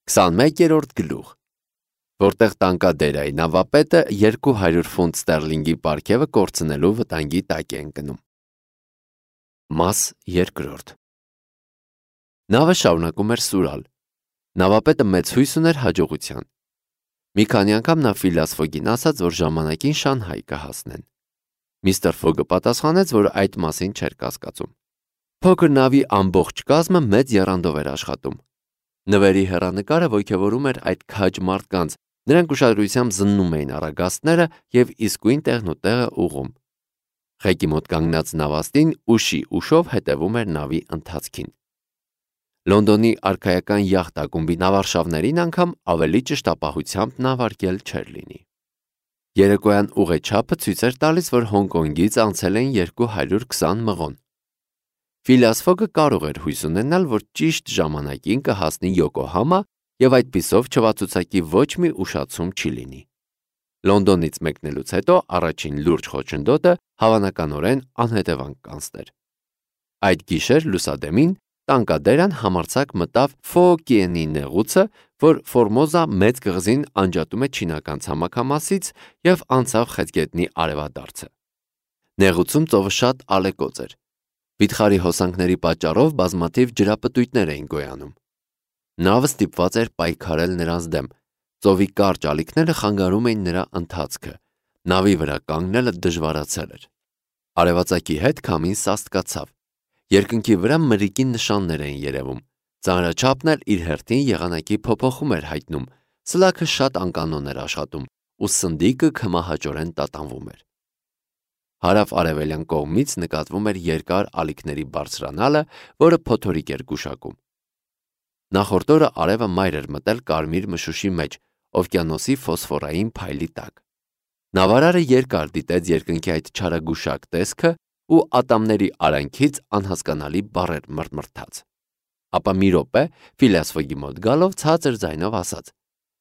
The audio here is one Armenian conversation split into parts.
21-րդ գլուխ, որտեղ տանկադերայի նավապետը 200 ֆունտ ստերլինգի պարգևը կորցնելու վտանգի տակ է ընկնում։ Մաս 2. Նավը շարունակում էր սուրալ։ Նավապետը մեծ հույս ուներ հաջողության։ Մի քանի անգամ նա Ֆիլիաս Ֆոգին ասաց, որ ժամանակին Շանհայ կհասնեն։ Միստր Ֆոգը պատասխանեց, որ այդ մասին չէր կասկածում։ Փոքր նավի ամբողջ կազմը մեծ եռանդով էր աշխատում։ Նվերի հեռանկարը ոգևորում էր այդ քաջ մարդկանց, նրանք ուշադրությամբ զննում էին առագաստները և իսկույն տեղն ու տեղը ուղղում։ Ղեկի մոտ կանգնած նավաստին ուշի ուշով հետևում էր նավի ընթացքին։ Լոնդոնի արքայական յախտ ակումբի նավարշավներին անգամ ավելի ճշտապահությամբ նավարկել չէր լինի։ Երեկոյան ուղեչափը ցույց էր տալիս, որ Հոնկոնգից անցել են 220 մղոն։ Ֆիլիաս Ֆոգը կարող էր հույս ունենալ, որ ճիշտ ժամանակին կհասնի Յոկոհամա և այդպիսով չվացուցակի ոչ մի ուշացում չի լինի։ Լոնդոնից մեկնելուց հետո առաջին լուրջ խոչընդոտը հավանականորեն անհետևանք կանցներ։ Այդ գիշեր լուսադեմին տանկադերան համարձակ մտավ Ֆոկիենի նեղուցը, որ Ֆորմոզա մեծ կղզին անջատում է չինական ցամաքամասից և անցավ Խեցգետնի արևադարձը։ Նեղուցում ծովը շատ ալեկոծ էր։ Վիթխարի հոսանքների պատճառով բազմաթիվ ջրապտույտներ էին գոյանում։ Նավը ստիպված էր պայքարել նրանց դեմ։ Ծովի կարճ ալիքները խանգարում էին նրա ընթացքը։ Նավի վրա կանգնելը դժվարացել էր։ Արևածագի հետ քամին սաստկացավ։ Երկնքի վրա մրրիկի նշաններ էին երևում։ Ծանրաչափն էլ իր հերթին եղանակի փոփոխում էր հայտնում։ Սլաքը շատ անկանոն էր աշխատում, ու սնդիկը քմահաճորեն տատանվում էր։ Հարավ-արևելյան կողմից նկատվում էր երկար ալիքների բարձրանալը, որը փոթորիկ էր գուշակում։ Նախորդ օրը արևը մայր էր մտել կարմիր մշուշի մեջ, օվկիանոսի ֆոսֆորային փայլի տակ։ Նավարարը երկար դիտեց երկնքի այդ չարագուշակ տեսքը ու ատամների արանքից անհասկանալի բառեր մրթմրթաց։ Ապա մի րոպե Ֆիլիաս Ֆոգի մոտ գալով ցածր ձայնով ասաց.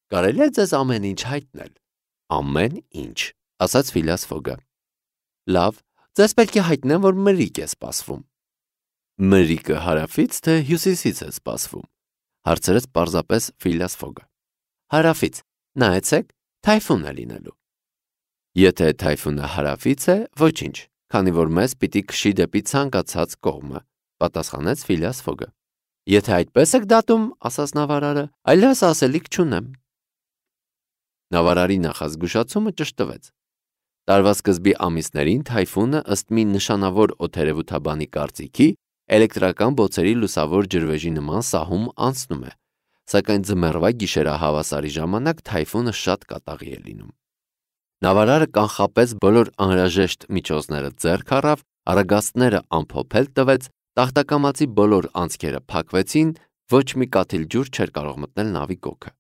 «Կարելի է ձեզ ամեն ինչ հայտնել»։ «Ամեն ինչ», ասաց Ֆիլիաս Ֆոգը։ «Լավ, ձեզ պետք է հայտնեմ, որ մրրիկ է սպասվում»։ «Մրրիկը հարավից թե հյուսիսից է սպասվում», հարցրեց պարզապես Ֆիլիաս Ֆոգը։ «Հարավից, նայեցեք, թայֆուն է լինելու»։ «Եթե թայֆունը հարավից է, ոչինչ, քանի որ մեզ պիտի քշի դեպի ցանկացած կողմը», պատասխանեց Ֆիլիաս Ֆոգը։ «Եթե այդպես եք դատում, ասաց նավարարը, այլևս ասելիք չունեմ»։ Նավարարի նախազգուշացումը ճշտվեց։ Տարվա սկզբի ամիսներին թայֆունը, ըստ մի նշանավոր օդերևութաբանի կարծիքի, էլեկտրական բոցերի լուսավոր ջրվեժի նման սահում անցնում է, սակայն ձմեռվա գիշերահավասարի ժամանակ թայֆունը շատ կատաղի է լինում։ Նավարարը կանխապես բոլոր անհրաժեշտ միջոցները ձեռք առավ, առագաստները ամփոփել տվեց, տախտակամածի բոլոր անցքերը փակվեցին, ոչ մի կաթիլ ջուր չէր կարող մտնել նավի գոգը։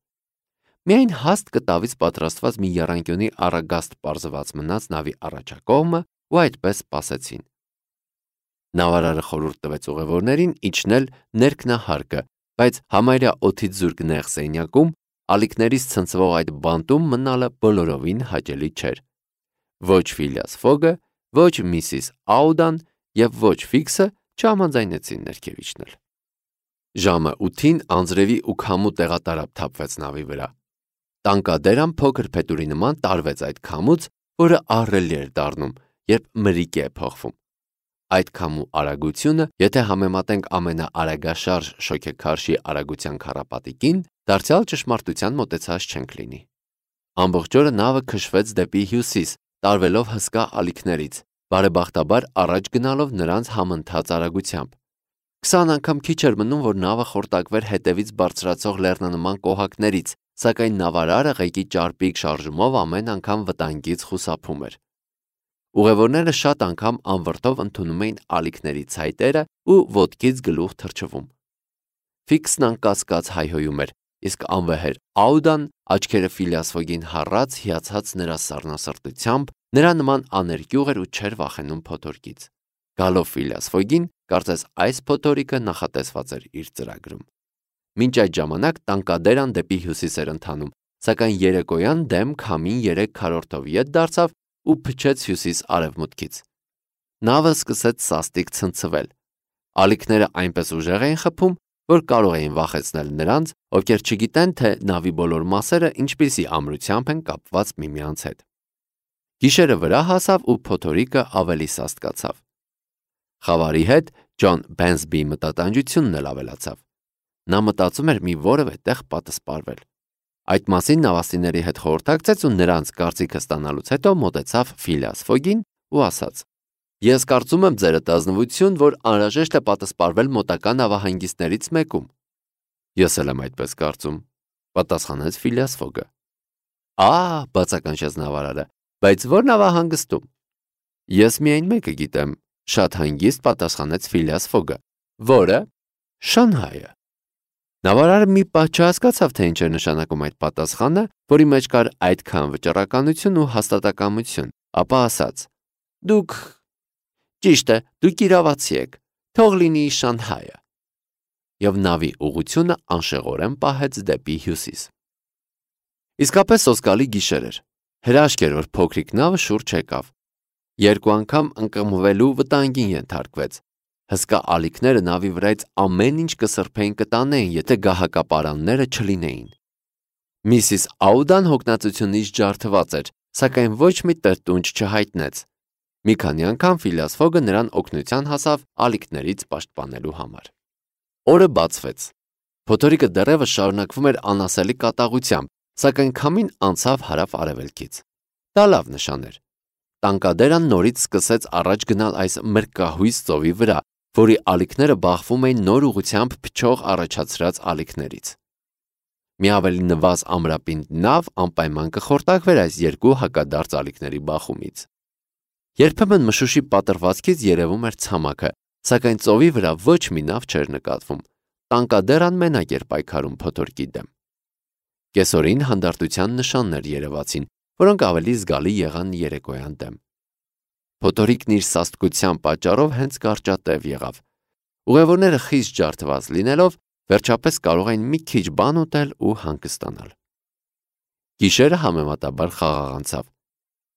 Միայն հաստ կտավից պատրաստված մի եռանկյունի առագաստ պարզված մնաց նավի առաջակողմը ու այդպես սպասեցին։ Նավարարը խորհուրդ տվեց ուղևորներին իջնել ներքնահարկը, բայց համարյա օդից զուրկ նեղ սենյակում, ալիքներից ցնցվող այդ բանտում մնալը բոլորովին հաճելի չէր։ Ոչ Ֆիլիաս Ֆոգը, ոչ Միսիս Աուդան և ոչ Ֆիքսը չհամաձայնեցին ներքև իջնել։ Ժամը 8-ին անձրևի ու քամու տեղատարափ թափվեց նավի վրա։ Տանկադերան փոքր փետուրի նման տարվեց այդ քամուց, որը ահռելի էր դառնում, երբ մրրիկ է փոխվում։ Այդ քամու արագությունը, եթե համեմատենք ամենաարագաշարժ շոգեքարշի արագության քառապատիկին, դարձյալ ճշմարտության մոտեցած չենք լինի։ Ամբողջ օրը նավը քշվեց դեպի հյուսիս, տարվելով հսկա ալիքներից, բարեբախտաբար առաջ գնալով նրանց համընթաց արագությամբ։ 20 անգամ քիչ էր մնում, որ նավը խորտակվեր հետևից բարձրացող լեռնանման կոհակներից, սակայն նավարարը ղեկի ճարպիկ շարժումով ամեն անգամ վտանգից խուսափում էր։ Ուղևորները շատ անգամ անվրդով ընդունում էին ալիքների ցայտերը ու ոտքից գլուխ թռչվում։ Ֆիքսն անկասկած հայհոյում էր, իսկ անվեհեր Աուդան աչքերը Ֆիլիաս Ֆոգին հառած հիացած նրա սառնասրտությամբ, նրա նման աներկյուղ էր ու չէր վախենում փոթորկից։ Գալով Ֆիլիաս Ֆոգին, կարծես այս փոթորիկը նախատեսված էր իր ծրագրում։ Մինչ այդ ժամանակ տանկադերան դեպի հյուսիս էր ընթանում, սակայն երեկոյան դեմ քամին 3 քառորդով ետ դարձավ ու փչեց հյուսիս-արևմուտքից։ Նավը սկսեց սաստիկ ցնցվել։ Ալիքները այնպես ուժեղ էին խփում, որ կարող էին վախեցնել նրանց, ովքեր չգիտեն, թե նավի բոլոր մասերը ինչպիսի ամրությամբ են կապված միմյանց հետ։ Գիշերը վրա հասավ ու փոթորիկը ավելի սաստկացավ։ Խավարի հետ Ջոն Բենսբիի մտատանջությունն էլ ավելացավ։ Նա մտածում էր մի որևէ տեղ պատսպարվել։ Այդ մասին նավաստիների հետ խորհրդակցեց ու նրանց կարծիքը ստանալուց հետո մոտեցավ Ֆիլիաս Ֆոգին ու ասաց. «Ես կարծում եմ ձերդ ազնվություն, որ անհրաժեշտ է պատսպարվել մոտակա նավահանգիստներից մեկում»։ «Ես էլ եմ այդպես կարծում», պատասխանեց Ֆիլիաս Ֆոգը։ Բացականչեց նավարարը, բայց ո՞ր նավահանգստում։ «Ես միայն մեկը գիտեմ», շատ հանգիստ պատասխանեց Ֆիլիաս Ֆոգը։ «Որը»։ «Շանհայը»։ Նավարարը մի պահ չհասկացավ, թե ինչ էր նշանակում այդ պատասխանը, որի մեջ կար այդքան վճռականություն ու հաստատակամություն, ապա ասաց. «Դուք ճիշտ է, դուք իրավացի եք, թող լինի Շանհայը»։ Եվ նավի ուղղությունը անշեղորեն պահեց դեպի հյուսիս։ Իսկապես սոսկալի գիշեր էր։ Հրաշք էր, որ փոքրիկ նավը շուրջ եկավ։ Երկու անգամ ընկղմվելու վտանգին ենթարկվեց։ Հսկա ալիքները նավի վրայից ամեն ինչ կսրբեին կտանեին, եթե գահակապարանները չլինեին։ Միսիս Աուդան հոգնածությունից ջարդված էր, սակայն ոչ մի տրտունջ չհայտնեց։ Մի քանի անգամ Ֆիլիաս Ֆոգը նրան օգնության հասավ ալիքներից պաշտպանելու համար։ Օրը բացվեց։ Փոթորիկը դեռևս շարունակվում էր անասելի կատաղությամբ, սակայն քամին անցավ հարավ-արևելքից։ Դա լավ նշան էր։ Տանկադերան նորից սկսեց առաջ գնալ այս մրկահույս ծովի վրա, որի ալիքները բախվում էին նոր ուղղությամբ փչող առաջացրած ալիքներից։ Մի ավելի նվազ ամրապինդ նավ անպայման կխորտակվեր այս երկու հակադարձ ալիքների բախումից։ Երբեմն մշուշի պատրվածքից երևում էր ցամաքը, սակայն ծովի վրա ոչ մի նավ չէր նկատվում։ Տանկադերան մենակ էր պայքարում փոթորկի դեմ։ Կեսօրին հանդարտության նշաններ երևացին, որոնք ավելի զգալի եղան երեկոյան դեմ։ Փոթորիկն իր սաստկության պատճառով հենց կարճատև եղավ։ Ուղևորները խիստ ջարդված լինելով, վերջապես կարող էին մի քիչ բան ուտել ու հանգստանալ։ Գիշերը համեմատաբար խաղաղ անցավ։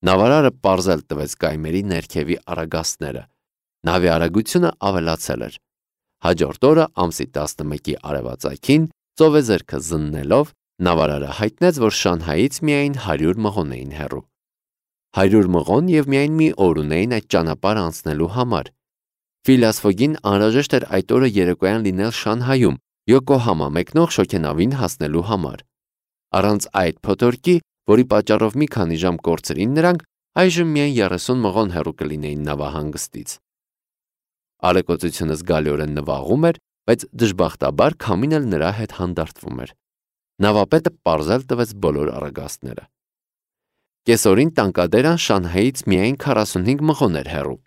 Նավարարը պարզել տվեց կայմերի ներքևի արագաստները։ Նավի արագությունը ավելացել էր։ Հաջորդ օրը ամսի 11-ի արևածագին ծովեզերքը զննելով նավարարը հայտնեց, որ Շանհայից միայն 100 մղոն էին հեռու։ 100 մղոն և միայն մի օր ունեին այդ ճանապարհը անցնելու համար։ Ֆիլիաս Ֆոգին անհրաժեշտ էր այդ օրը երեկոյան լինել Շանհայում, Յոկոհամա մեկնող շոգենավին հասնելու համար։ Առանց այդ փոթորկի, որի պատճառով մի քանի ժամ կորցրին նրանք, այժմ միայն 30 մղոն հեռու կլինեին նավահանգստից։ Ալեկոծությունը զգալիորեն նվաղում էր, բայց դժբախտաբար քամին էլ նրա հետ հանդարտվում էր։ Նավապետը պարզել տվեց բոլոր արագաստները։ Կեսօրին տանկադերան Շանհայից միայն 45 մղոն էր հեռու։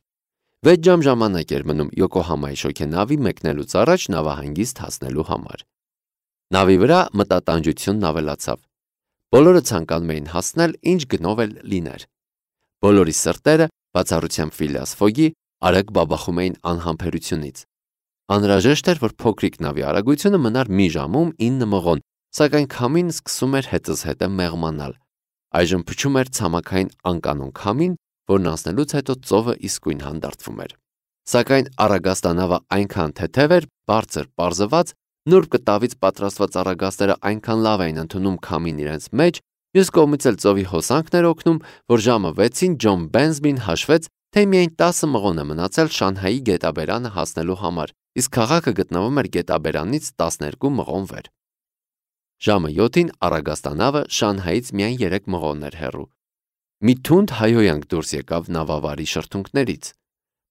6 ժամ ժամանակ էր մնում Յոկոհամայի շոգենավի մեկնելուց առաջ նավահանգիստ հասնելու համար։ Նավի վրա մտատանջությունն ավելացավ։ Բոլորը ցանկանում էին հասնել ինչ գնով էլ լիներ։ Բոլորի սրտերը, բացառությամբ Ֆիլիաս Ֆոգի, արագ բաբախում էին անհամբերությունից։ Անհրաժեշտ էր, որ փոքրիկ նավի արագությունը մնար մի ժամում 9 մղոն, սակայն քամին սկսում էր հետզհետե մեղմանալ։ Այժմ փչում էր ցամաքային անկանոն քամին, որն անցնելուց հետո ծովը իսկույն հանդարտվում էր։ Սակայն արագաստանավը այնքան թեթև էր, բարձր պարզված, նուրբ կտավից պատրաստված արագաստերը այնքան լավ էին ընդունում քամին իրենց մեջ, մյուս կողմից էլ ծովի հոսանքն էր օգնում, որ ժամը 6-ին Ջոն Բենսբին հաշվեց, թե միայն 10 մղոն է մնացել Շանհայի գետաբերանը հասնելու համար, իսկ քաղաքը գտնվում էր գետաբերանից 12 մղոն վեր։ Ժամը 7-ին արագաստանավը Շանհայից միայն 3 մղոն էր հեռու։ Մի թունդ հայհոյանք դուրս եկավ նավավարի շրթունքներից։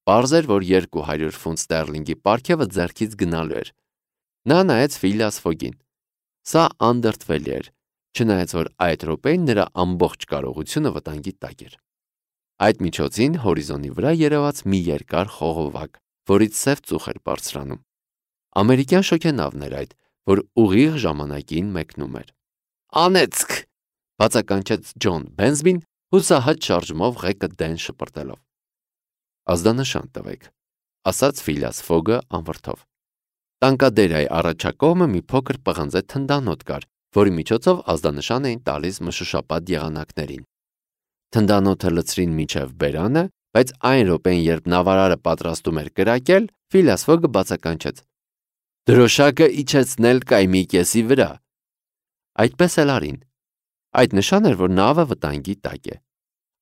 Պարզ էր, որ 200 ֆունտ ստերլինգի պարգևը ձեռքից գնալու էր։ Նա նայեց Ֆիլիաս Ֆոգին։ Սա անդրդվելի էր, չնայած որ այդ րոպեին նրա ամբողջ կարողությունը վտանգի տակ էր։ Այդ միջոցին հորիզոնի վրա երևաց մի երկար խողովակ, որից սև ծուխ էր բարձրանում։ Ամերիկյան շոգենավն էր այդ, որ ուղիղ ժամանակին մեկնում էր։ «Անեծք», բացականչեց Ջոն Բենսբին, հուսահատ շարժումով ղեկը դեն շպրտելով։ «Ազդանշան տվեք», ասաց Ֆիլիաս Ֆոգը անվրդով։ Տանկադերայի առաջակողմը մի փոքր պղնձե թնդանոթ կար, որի միջոցով ազդանշան էին տալիս մշուշապատ եղանակներին։ Թնդանոթը լցրին մինչև բերանը, բայց այն րոպեին, երբ նավարարը պատրաստում էր կրակել, Ֆիլիաս Ֆոգը բացականչեց. Դրոշակը իջեցնել կայմի կեսի վրա։ Այդպես էլ արին։ Այդ նշան էր, որ նավը վտանգի տակ է։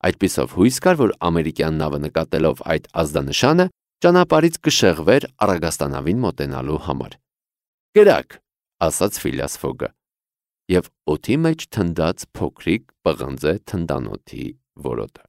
Այդպիսով հույս կար, որ ամերիկյան նավը նկատելով այդ ազդանշանը ճանապարհից կշեղվեր Առագաստանավին մոտենալու համար։ «Կրակ», ասաց Ֆիլիաս Ֆոգը, և օդի մեջ թնդաց փոքրիկ պղնձե թնդանոթի որոտը։